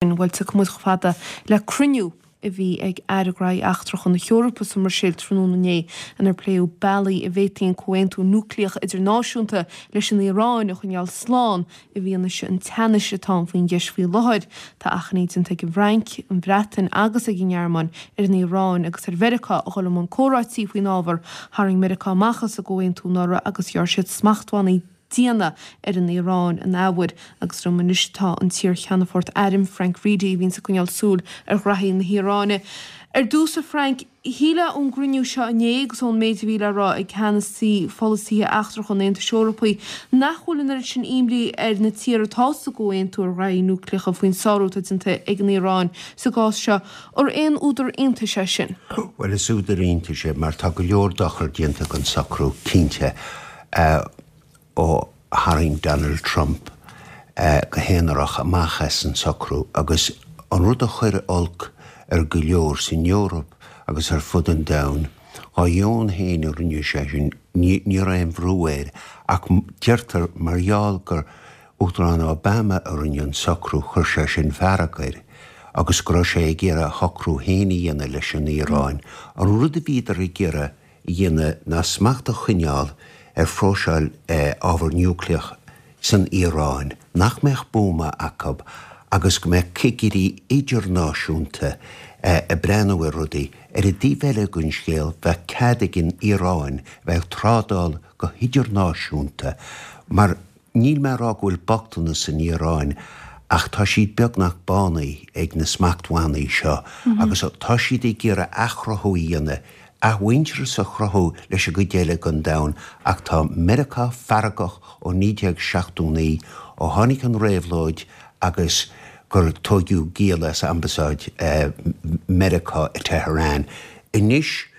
Bhuel, tiocfaidh muid chomh fada le cruinniú a bhí ag Aire Gnóthaí Eachtracha na hEorpa sa mBruiséil tráthnóna inné inar pléadh bealaí a bhféadfaí an comhaontú núicléach idirnáisiúnta leis an Iaráin a choinneáil slán i bhfianaise an teannais atá ann faoin gceist faoi láthair. Tá achainí déanta ag an bhFrainc, an Bhreatain agus ag an nGearmáin ar an Iaráin agus ar Mheiriceá a dhul i mbun comhráití faoin ábhar. Tharraing Meiriceá amach as an gcomhaontú anuraidh agus ghearr siad smachtbhannaí diana ar an Iaráin an athuair agus liom anois tá an t-iar-cheannfort airm, Frank Reidy, a bhíonns ag coinneáil súil ar ghraithí na hIaráine. Ar dtús, a Frank, shílfeá ón gcruinniú seo inné agus ón méid a bhí le rá ag ceannasaí pholasaithe eachtracha an Aontais Eorpaigh nach bhfuil an oiread sin imní ar na tíortha atá sa gcomhaontú ar ghraithí núicléacha faoin sárú atá déanta ag an Iaráin sa gcás seo. Ar aon údar iontais é sin? Bhuel, is údar iontais é mar tá go leor dochar déanta don socrú, cinnte. ó tharraing Donald Trump go haonarach amach as an socrú agus an rud a chuir olc ar go leor san Eoraip agus ar fud an domhain, dá dheoin féin a rinne sé sin, ní raibh aon bhrú air ach deirtear mar gheall gur Uachtarán Obama a rinne an socrú chuir sé sin fearg air agus go raibh sé ag iarraidh a shocrú féin a dhéanamh leis an Iaráin. An rud a bhíodar ag iarraidh a dhéanamh ná smacht a choinneáil ar phróiseáil ábhar núicléach san Iaráin, nach mbeadh buama acu agus go mbeadh cigirí idirnáisiúnta ag breathnú ar rudaí. Ar an dtaobh eile den scéal, bheadh cead ag an Iaráin a bheith ag trádáil go hidirnáisiúnta mar Níl mé a rá go bhfuil bochtanas san Iaráin ach tá siad beagnach bánaithe ag na smachtbhannaí seo agus tá siad ag iarraidh athchruthú a dhéanamh, athmhuintearas a chruthú leis an gcuid eile den domhan ach tá Meiriceá feargach ó 1979 ó tháinig an réabhlóid agus gur tóigeadh giall as ambasáid Meiriceá i Tehran. Anois.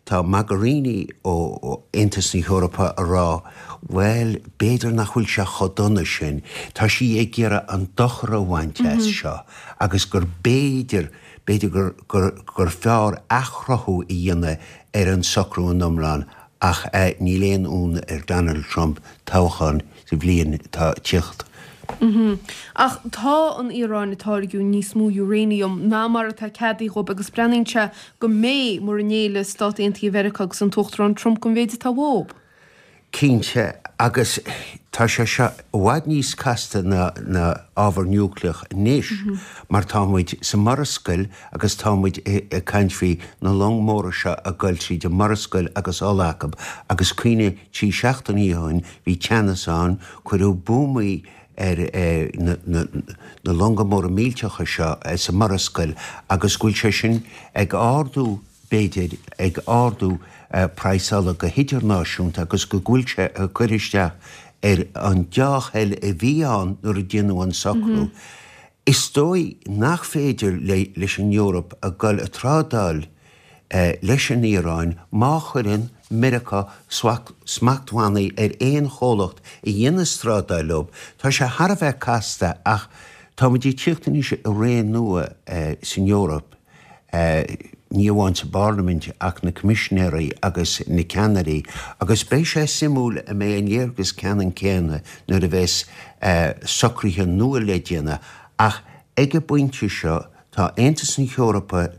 Tá Mogherini ó Aontas na hEorpa a rá, bhuel, b'fhéidir nach bhfuil sé chomh dona sin. Tá sí ag iarraidh an dochar a bhaint as seo agus gur b'fhéidir, b'fhéidir gur, gur, gur fearr athchruthú a dhéanamh ar an socrú in iomlán ach níl aon ionadh ar Donald Trump toghchán sa bhliain atá ag tíocht. Ach tá an Iaráin ag táirgiú níos mó uranium ná mar atá ceadaithe dhóibh agus breathnaíonn sé go mbeidh, mura ngéillfidh Stát Aontaithe Mheiriceá agus an tUachtarán Trump don mhéid atá uathub. Cinnte, agus tá sé seo i bhfad níos casta ná ábhar núicléach anois mar tá muid sa Mhurascaill agus tá muid ag caint faoi na long móra seo ag goil tríd an Murascaill agus ola acu agus cuimhnigh 3 seachtainí ó shin bhí teannas ann, cuireadh buamaí ar na longa móra millteacha seo sa Mhurascaill agus go bhfuil sé sin ag ardú, b'fhéidir, ag ardú praghas ola go hidirnáisiúnta agus go bhfuil sé ag cur isteach ar an deá-thoil a bhí ann nuair a déanadh an socrú. Is dóigh nach féidir leis an Eoraip a dhul ag trádáil leis an Iaráin má chuireann Meiriceá smachtbhannaí ar aon chomhlacht a dhéanas trádáil leo. Tá sé thar a bheith casta ach táimid ag tíocht anois i ré nua san Eoraip, ní amháin sa bParlaimint ach na coimisinéirí agus na ceannairí agus beidh sé suimiúil an mbeidh an léargas ceannann céanna nuair a bheas socruithe nua le déanamh ach ag an bpointe seo tá Aontas na hEorpa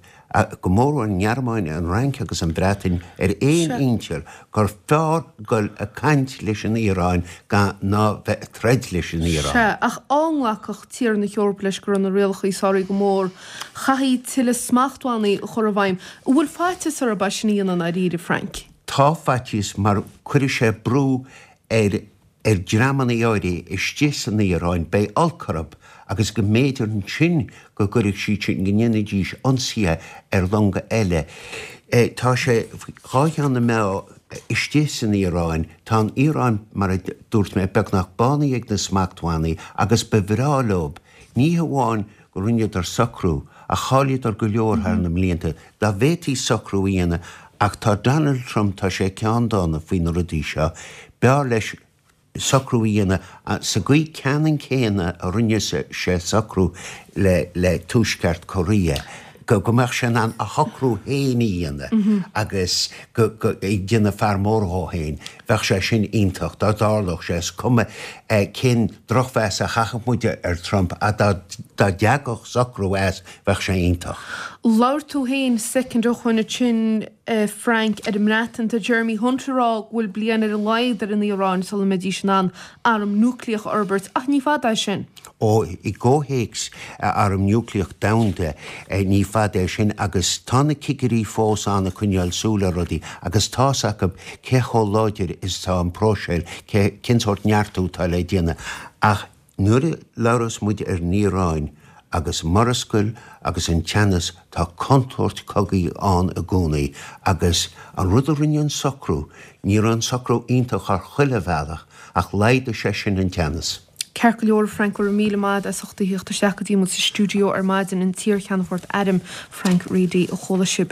go mórmhór an nGearmáin, an Fhrainc agus an Bhreatain ar aon intinn gur fearr dul ag caint leis an Iaráin gan ná bheith ag troid leis an Iaráin. Sea, ach dá nglacfadh tíortha na hEorpa leis go raibh na rialacha sáraithe go mór, chaithfí tuilleadh smachtbhannaí a chur i bhfeidhm. An bhfuil faitíos orthu é sin a dhéanamh i ndáiríre, Frank? Tá faitíos mar cuirfidh sé brú ar ar dhreamanna áirithe istigh san Iaráin, beidh olc orthu agus go mb'fhéidir ansin go gcuirfeadh siad sin, go ndéanfaidís ionsaithe ar longa eile. Tá sé dhá cheann na meá istigh san Iaráin. Tá an Iaráin, mar a dúirt mé, beagnach bánaithe ag na smachtbhannaí agus ba bhreá leo, ní hamháin go rinneadar socrú, ach chailleadar go leor thar na mblianta. Dá bhféadfaí socrú a dhéanamh, ach tá Donald Trump, tá sé ceanndána faoi na rudaí seo, b'fhearr leis socrú a dhéanamh sa gcaoi ceannann céanna a rinne sé socrú le Tuaisceart Korea. Go mbeadh sé in ann a shocrú féin a dhéanamh agus go ag déanamh fear mór dhó féin. Bheadh sé sin iontach dá dtarlódh sé. Is cuma cén drochmheas a chaithfeadh muid ar Trump ach dá dtagadh socrú as, bheadh sé iontach. Labhair tú féin soicind ó shoin ansin, a Frank, ar an mBreatain. Tá Jeremy Hunt ag rá go bhfuil bliain ar a laghad ar an Iaráin sula mbeidís in ann arm núicléach a fhorbairt, ach ní fada é sin. Ó, i gcomhthéacs arm núicléach domhanda, ní fada é sin agus tá na cigirí fós ann ag coinneáil súil ar rudaí agus tá's acu cé chomh láidir is atá an próiseáil, cén sórt neartú atá le déanamh. Ach nuair a labhras muid ar an Iaráin agus murascaill agus an teannas, tá contúirt cogaidh ann i gcónaí agus an rud a rinne an socrú, ní raibh an socrú iontach ar chuile bhealach ach laghdaigh sé sin an teannas. Ceart go leor, a Frank, go raibh míle maith agat as ucht a thíocht isteach go dtí muid sa stiúideo ar maidin, an t-iar-Cheannfort Airm, Frank Reidy, a chuala sibh.